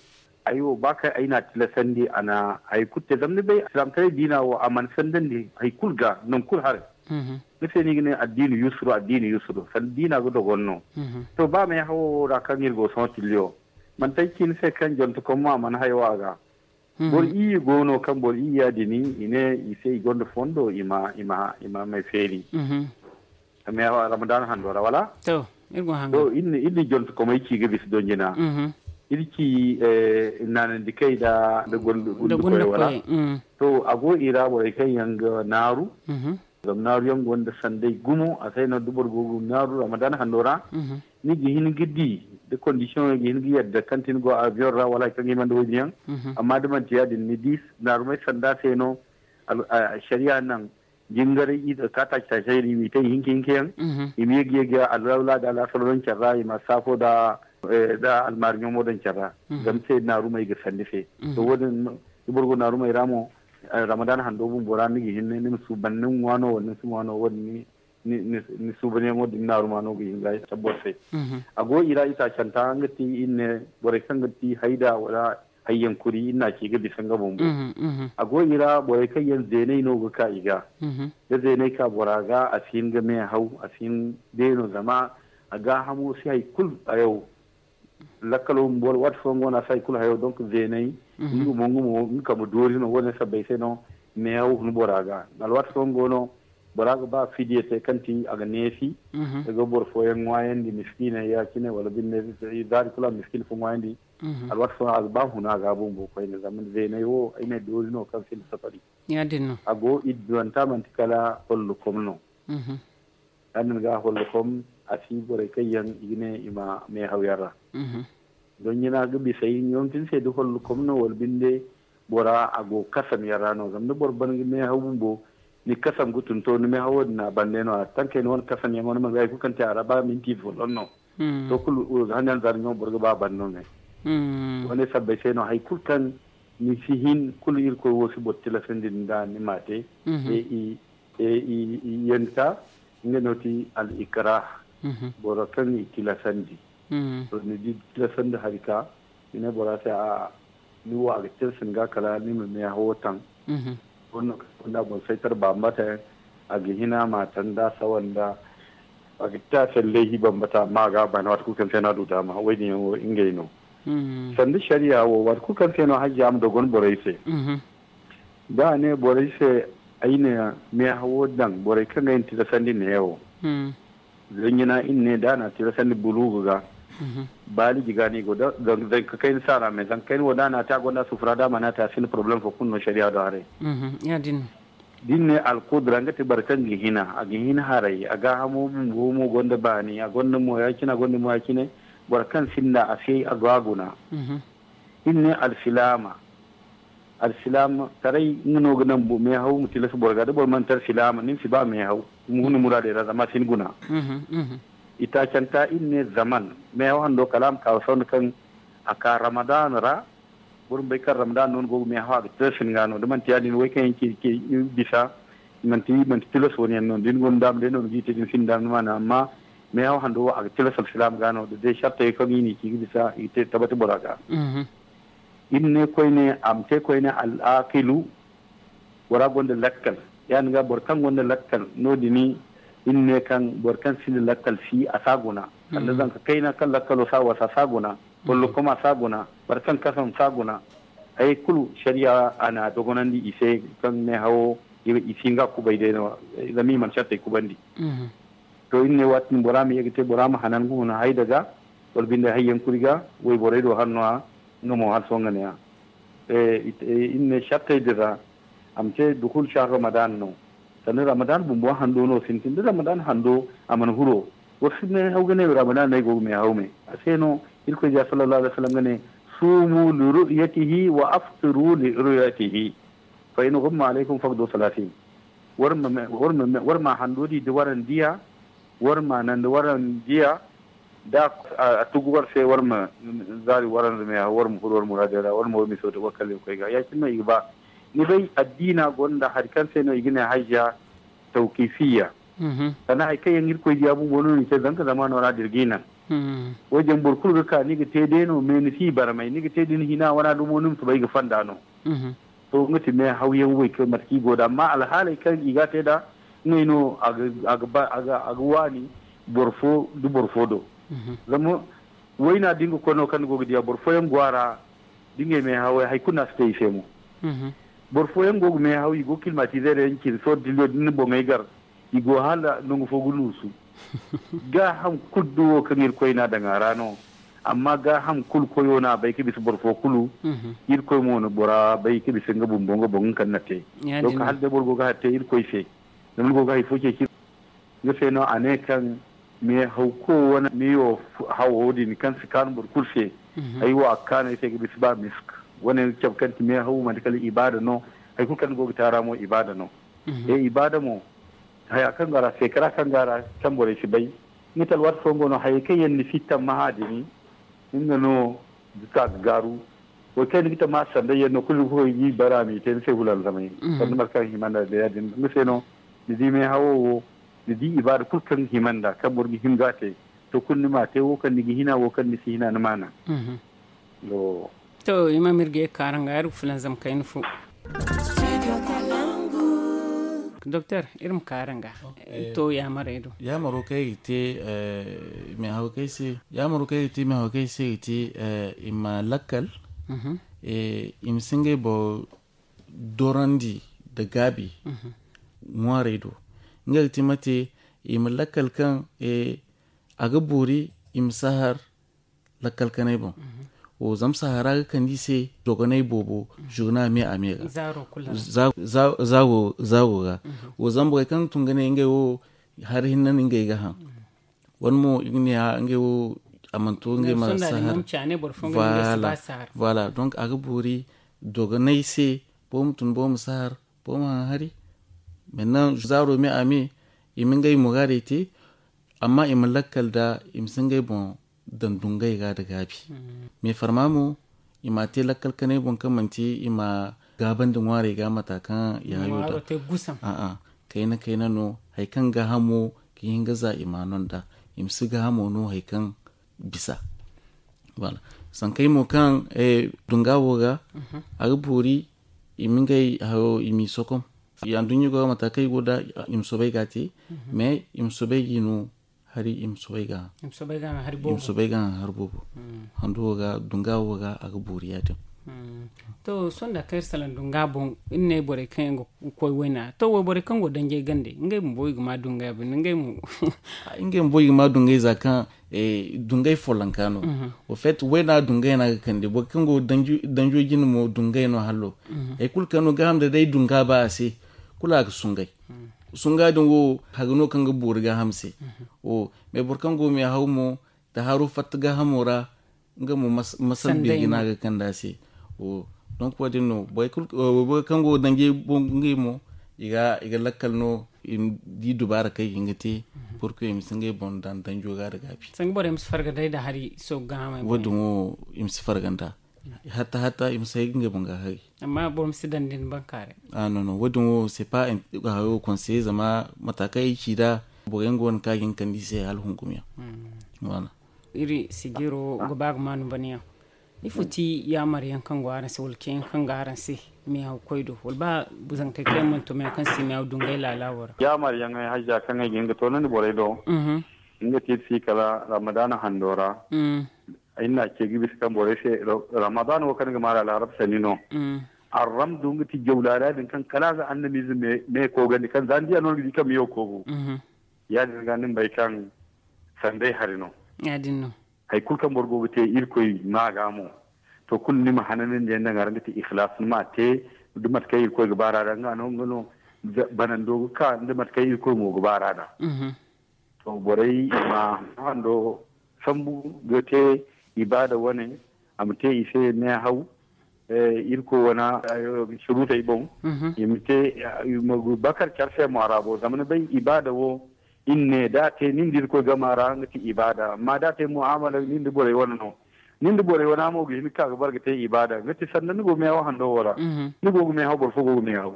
ay wo ba kaŋ ay na a tilasandi a na hari kulu te zama ni bay alsilaamataray diina wo a mana sandandi hari kulu ga nangu kulu haray. Ni se no i ga ne addiini yusuru addiini yusuru sanda diina ga dogon no. To ba meehawo wo ra kaŋ iri go sohõ tilliyo manti ay ci ni se kaŋ jonte kom mo a mana hayo a ga. Boro iyye go no kaŋ boro iyya din i ne i se i gonda fondo i ma i ma i ma may feeri. Ramadaana hando ra wala? To iri go hanga to iri na jonte komey ci ga bisa donjina. Iri ci naanandi kay da da gonda koy wala? To a go i ra borey kaŋ yaŋ ga naaru. Zama naaruyaŋ gonda sanday gumo a se no da boro go ga naaru ramadaana hando ra. Ni ga hin ga di da kondisiyoŋey ga hin ga yadda kaŋ ti ni go avion ra wala hari kaŋ ga himandi wo- din yaŋ. Amma da manti ya- din ni di naarumey sanda se no. Sariya naŋ jingaray ize ka taaci taaci hayri i ma i te i hinka hinka yaŋ. I ma ye ga ye ga alwala da alaasar no care ra i ma saafo da almaari ɲomo daŋ care ra. Zama se naarumey ga sandi se. To wo- din da boro go naarumey ra mo ramadaana hando bumbo ra ni ga hin ni ma suuban ni ma ŋwa no wala ni si ŋwa no wo- din ni suubanyaŋo din naaruma no ga hin ga ay tabbor se. A go i ra itaacanta nga ti iri ne borey kaŋ ga ti hayda wala hayyankuri iri na ci ga bisa nga bumbo. A go i ra borey kaŋ yaŋ zeenay no ga ka i ga da zeenay ka bora ga a si hin ga meehaw a si hin deeno zama a gaahamo si hari kulu hayo. Lakkalo bumbo waati fooyaŋ go no a si hari kulu hayo donc zeenay nga mo nga mo nga kambe doori no wo- din sabbay se no meehaw hun bora ga. Alwaati fooyaŋ go no bora ga ba fidiya te kaŋ ti a ga neefi. Ga boro fooyaŋ ŋwaayandi miskiiney ya- cine wala binde zaari kulu a ma miskiina fo ŋwaayandi. Alwaati fooyaŋ a ga ba huna ga bumbo koyne zama zeeney wo ay ne doori no kaŋ sinda safari. Ya- din no a go i duwanta manti kala hollokom no. Ya- din ga hollokom a si borey kaŋ yaŋ i ga ne i ma meehaw yaŋ ra. Don ɲina ga bisa ay ɲoŋ tin se da hollokom no wala binde bora a go kasam yaŋ ra no zama da boro ban ga meehaw bumbo ni kasam ga tun to ni meehawo din a bande no a tankey ni wane kasam yaŋo ni ma ga hari kulu kaŋ te a ra ba minti fo don no. To kulu hangan zara ɲoŋ boro ga ba ban no me wane sabbay se no hari kulu kaŋ ni si hin kulu irkoy wo si boro tilasandi nda ni ma te. Yanta nga no ti al ikrah boro kaŋ i tilasandi. To ni di tilasandi hari ka ni ne bora se a ni wo a ga tirsin ga kala ni ma meehawo taŋ. Wonno kaŋ gonda boŋ saytar bambata yaŋ a ga hina ma taŋ da sawa nda a ga ta salley hi bambata amma a ga a bana waati kulu kaŋ se no a du daama wo- din yaŋ wo ngey no. Sanda shariya wo, waati kulu kaŋ se no hajja ma dogon borey se. Da a ne borey se, ay na meehawo daŋ borey kaŋ ay na tilasandi neewo. Zanjina iri ne da a na tilasandi bulugu ga, baaliji ga no i go da zanka kayna saara me zanka kayna wo da a na te a gonda sufura da a mana te a sinda poroblem fo kulu no shariya do haray. Da iri ne alkudura nga te boro kaŋ ga hina a ga hina haray a gaahamo bumbo mo gonda baani a gonda mo ya- cine a gonda mo ya- cine. Boro kaŋ sinda a se a go a guna. Iri ne alsilaama. Alsilaama taray nga no ga naŋ meehaw ma tilas boro ga da boro mana te alsilaama ni ma si ba meehaw. Ni muraadey ra zama a si ni guna. Itaacanta iri ne zaman meehaw hando kala a ma ka wa sonda kaŋ a ka ramadan ra. Boro ma bay kaŋ ramadan no ni go ga meehaw a ga tilas ni ga no da manti ya- din way kaŋ yaŋ ci bisa. Manti manti tilas wani yaŋ no da ni gonda daama day no ni ga i te da ni sinda daama ni ma naŋ amma meehaw hando wo a ga tilas alsilaama ga no da day sartey kaŋ i n'i ci ga bisa i ga te tabati bora ga. Iri ne koyne a ma te koyne al'akilu. Bora gonda lakkal ya- din ga boro kaŋ gonda lakkal no- din. Iri ne kaŋ boro kaŋ sinda lakkal si a si a guna. Sanda zanka kayna kaŋ lakkalo si a wasa a si a guna. Wala koma si a guna. Boro kaŋ kasam si a guna. Hayey kulu shariya a na a dogonandi i se kaŋ meehawo i si hin ga kubay day no. Zama i mana sartey kubandi. To iri ne waati din bora ma ye ga te bora ma hanan ga huna hayda ga wala binde hayyaŋ kuri ga wayborey do hanno a. Nga mo hala sohõ nga ne a iri ne sartey din ra. A ma te dukul shahar ramadan no. Sanda ramadan bumbo hando no sintin da ramadan hando a mana huro. Boro si meehaw ga ne ramadan no ay go ga meehaw me a se no. Irkoy diya sallallahu alaihi wasallam ga ne sumu li ru'yatihi wa aftiru li ru'yatihi. Fa in ghumma alaikum faqdu salatin. War ma hando di da waran diya. War ma nan da waran diya. Da a tugu war se war ma zaari waranza me war ma furo war muraadey ra war ma war miso da war kaŋ ga koy ga ya- cine no i ga ba. Ni bay addiina gonda hari kaŋ se no i ga ne hajja tawkifiya. Sannan hari kaŋ yaŋ irkoy diya bumbo no ni te zanka zamaano ra da iri ga i naŋ. Wo- din boro kulu ga ka ni ga te day no me ni si i barmay ni ga te da ni hina wana dumo ni ma soobay ga fonda no. To nga ti meehawyaŋ wo kaŋ mate kaŋ i go nd'a amma alhaaley kaŋ i ga a te nd'a ngey no a ga waani boro fo nda boro fo do. Zama wayna da nga koy no kaŋ ni go ga diya boro fooyaŋ go a ra. Da ngey meehawey hari kulu no a si te i se mo. Boro fooyaŋ go ga meehaw i go ga kilmatiize day yaŋ cine sohõ da ni boŋey gar i go hala nangu fo ga nuusu. Gaaham kulu da wo kaŋ irkoy no a daŋ a ra no. Amma gaaham kulu koyo no a bay ga bisa boro fo kulu. Irkoy mo na bora bay ga bisa nga bumbo nga boŋ nga kaŋ na te. Donk hala day boro go ga hari te irkoy se. Zama ni go ga hari fo ceeci. Nga se no a ne kaŋ meehaw ko wane meeyo hawo din kaŋ si kaanu boro kulu se. Ay wo a ga kaanu ay se ga bisa ba misk. Wane cabe kaŋ ti meehaw manti kala ibaada no. Hari kulu kaŋ ni go ga te a ra mo ibaada no. E ibaada mo haya kaŋ go a ra seekara kaŋ go a ra kaŋ borey si bay. Nga ti alwaati fooyaŋ go no hayey kaŋ yaŋ ni si tammaha din. Nga no ga ka ga gaaru. Wo kaŋ ni ga tammaha sanday yaŋ no kulu ni ga koy ga i bara a m'i te ni se hula alzamay. Sanda mate kaŋ hima nd'a day ya- din nga se no ni di meehawo wo ni di ibaada kulu kaŋ ga hima nd'a kaŋ boro ga hin ga a te. To kulu ni m'a te wo kaŋ ni ga hina wo kaŋ ni si hina ni m'a naŋ. To i ma mirge kaaranga iri ga fulanzam kayna fo. Doktor iri ma kaaranga. To yaamarey do yaamaro kaŋ i ga te. Meehawkey se yaamaro kaŋ i ga te meehawkey se i ga te i ma lakkal. I ma si ngey boro dorandi nda gaabi ŋwaarey do. Nga ga te mate i ma lakkal kaŋ a ga boori i ma si a har lakkal kanay boŋ. Wo zama sahara ga kande i se dogonay boobo zurna me a me ga. Za wo ga wo zama borey kaŋ ga tun ga ne ngey wo hari hinne no ngey ga haŋ. Wane mo i ga ne a ngey wo a mana to ngey ma sahar. Voilà. Donc a ga boori dogonay se boro ma tun boro ma sahar boro ma haŋ hari. Maintenant zaaro me a me i ma ngey muraadey te. Amma i ma lakkal nda i ma si ngey boŋ daŋ dungay ga nda gaabi. Mais farma mo i m'a te lakkal kanay boŋ kaŋ manti i ma gaabandi ŋwaarey ga mata kaŋ i hayo da. A'a kayna kayna no hari kaŋ gaahamo ga hin ga za i ma no nda i ma si gaahamo no hari kaŋ bisa. Voilà. Sankey mo kaŋ dunga wo ga a ga boori i ma ngey hayo i m'i sokom. Anduɲɲa go ga mata kaŋ i go nda i ma soobay ga a te. Mais i ma soobay ga i no Hari i ma soobay ga haŋ. I ma soobay ga haŋ hari boobo. Handu wo ga dunga wo ga a ga boori ya- din. To sohõ da kaŋ iri salaŋ dunga boŋ, iri ne borey kaŋ yaŋ ga koy wayna to wayborey kaŋ go danjey gande ngey bumbo i ga ma dungay a binde ngey mo. Ngey bumbo i ga ma dungay za kaŋ dungay follonka no. Au fait wayna dungay no a ga kande boro kaŋ go danjo jine mo dungay no hallo. Hari kulu kaŋ no gaaham da day dunga ba a se, kulu a ga sungay. Sunga din wo haga no kaŋ ga boori gaaham se. Mais boro kaŋ go meehaw mo, da haro fatta gaahamo ra, nga mo masal beeri no a ga kande a se. Donc wo- din no wayboro kaŋ go danjey boŋ ngey mo, i ga lakkal no i ma di dubaara kaŋ i ga hin ga te. Pour que i ma si ngey boŋ daŋ danjo ga da gaabi. Sanga borey ma si farga day da hari soogu gaaham. Wo- din wo i ma si farga nd'a. Hatta hatta i ma si hay ga ngey boŋ ga hari. Amma boro ma si daŋ da ni bankaaray. Ah non non, wo- din wo c'est pas hayo conseiller zama mata kaŋ ay ci nd'a, boro yaŋ go no kaŋ a ga hin kande i se hala hunkum yaŋ. Iri sijiro ga ba ga maanu bana yaŋ. Ifo ti yaamar yaŋ kaŋ go araŋ se wala ce yaŋ kaŋ go araŋ se? Meehaw koy do wala ba zankey kaŋ yaŋ mana to meehaw kaŋ si meehaw dungay laala wo ra? Yaamar yaŋ ay hajja kaŋ ay ga hin ga toonandi borey do. Nga te iri si kala ramadaana hando ra. Ay na ce ga bisa kaŋ borey se, ramadan wo kaŋ ga maara alharab sanni no. Arram du nga ti jawlaala din kaŋ kala a ga annamize me koogandi kaŋ za ni di a no ni ga di kaŋ meyo koogu. Ya- din ga ni ma bay kaŋ sanday hari no. Ya- din no. Hari kulu kaŋ boro go ga te irkoy ma ga mo, to kulu ni ma hananandi yaŋ daŋ a ra nga ti ikhlas ni ma a te. Da mate kaŋ irkoy ga baara da nga no nga no banando ga ka da mate kaŋ irkoy mo ga baara da. To borey ma hando sambu ga te ibaada wane. A ma te i se meehaw irkoy wane surutey boŋ. I ma te bakar care se mo a ra bo zama ni bay ibaada wo. Inne da a te nin da irkoy gama ra nga ti ibaada amma da a te mu'amala nin da borey wane no. Nin da borey wane mo ga hin ka ga bar ga te ibaada nga ti sanda ni go meehaw hando wo ra. Ni go ga meehaw boro fo go ga meehaw.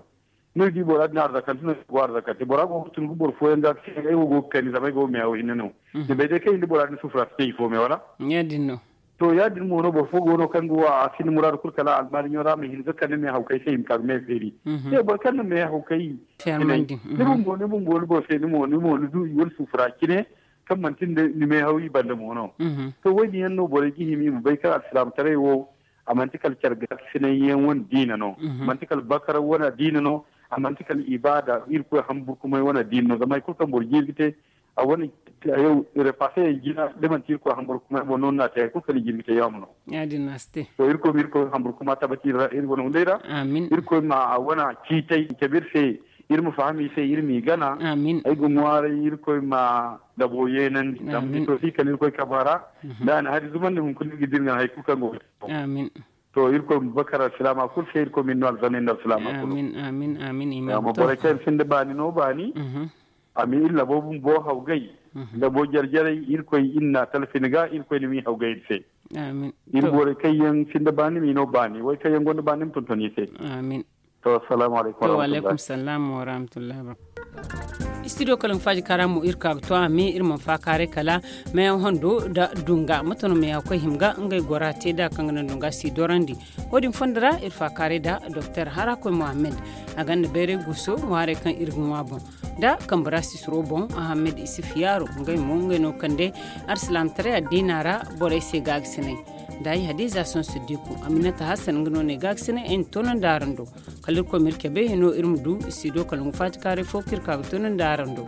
Ni di bora din arzakante no go arzakante bora go ga tun ga boro fooyaŋ ga ga se ay wo go ga kani zama ay go ga meehaw hinne no. Ni bay day kaŋ iri da bora din sufura si te ifo me wala? Ya- din no. To ya- din mo no boro fo go no kaŋ ga wa a sinda muraadu kulu kala almaariɲo ra ma hin ga kande meehawkay se i ma ka ga meefeeri. Te boro kaŋ na meehawkay hinay ni bumbo ni bumbo ni boro se ni mo ni du i wane sufura cine kaŋ manti ni meehaw i banda mo no. To wo- din yaŋ no borey ga hima i ma bay kaŋ alsilaamataray wo a manti kala care gaakasinay yaŋ wane diina no. Manti kala bakar wane diina no. A manti kala ibaada irkoy hamburkumay wane diina no zama hari kulu kaŋ boro jiiri ga te a wane repasse yaŋ jina da manti irkoy hamburkumay boŋ no ni na te hari kulu kaŋ i jiiri ga te yaamo no. Ya- din no a si te. To irkoy ma irkoy hamburkuma tabati iri wane hunday ra. Irkoy ma a wane ciitay cabe iri se. Iri ma faham i se iri m'i gana. Ay ga ŋwaaray irkoy ma dabo yeenandi zama ni to si kala irkoy kaba ra. Da a na hari zumandi hunkuna iri ga dira ngana hari kulu kaŋ go ga te. To irkoy ma bakar alsilaama kulu se irkoy ma iri no alzanna iri nda alsilaama kulu. Amin amin amin i ma ma borey kaŋ yaŋ sinda baani no baani. A ma iri labo bumbo hawgay. Labo jare jarey irkoy iri na talfin ga irkoy ni ma i hawgay iri se. Iri borey kaŋ yaŋ sinda baani ma i no baani way kaŋ yaŋ gonda baani ma tonton i se. Amin. To assalamu alaykum wa rahmatullahi. Studio kala nga faaji kara mo iri ka ga to a me iri mana faakaaray kala meeyaŋ hondo nda dunga mate no meeyaŋ koy hima ga ngey gora te da kaŋ ga naŋ dunga si dorandi. Wo- din fondo ra iri faakaaray nda doktor harakoy mohammed. A ganda bayray guuso ŋwaaray kaŋ iri ga ŋwa boŋ nda kambe ra sisiro boŋ ahammed isif yaaro ngey mo ngey no kande alsilaamataray addiina ra. Borey se gaagasinay nda ay hadiza sonso diku aminata hasan nga no ne gaagasinay ay na toonandi araŋ do. Kala irkoy ma iri cabe hino iri ma du i si do kala nga faati kaaray fo kaŋ iri ka ga toonandi araŋ do.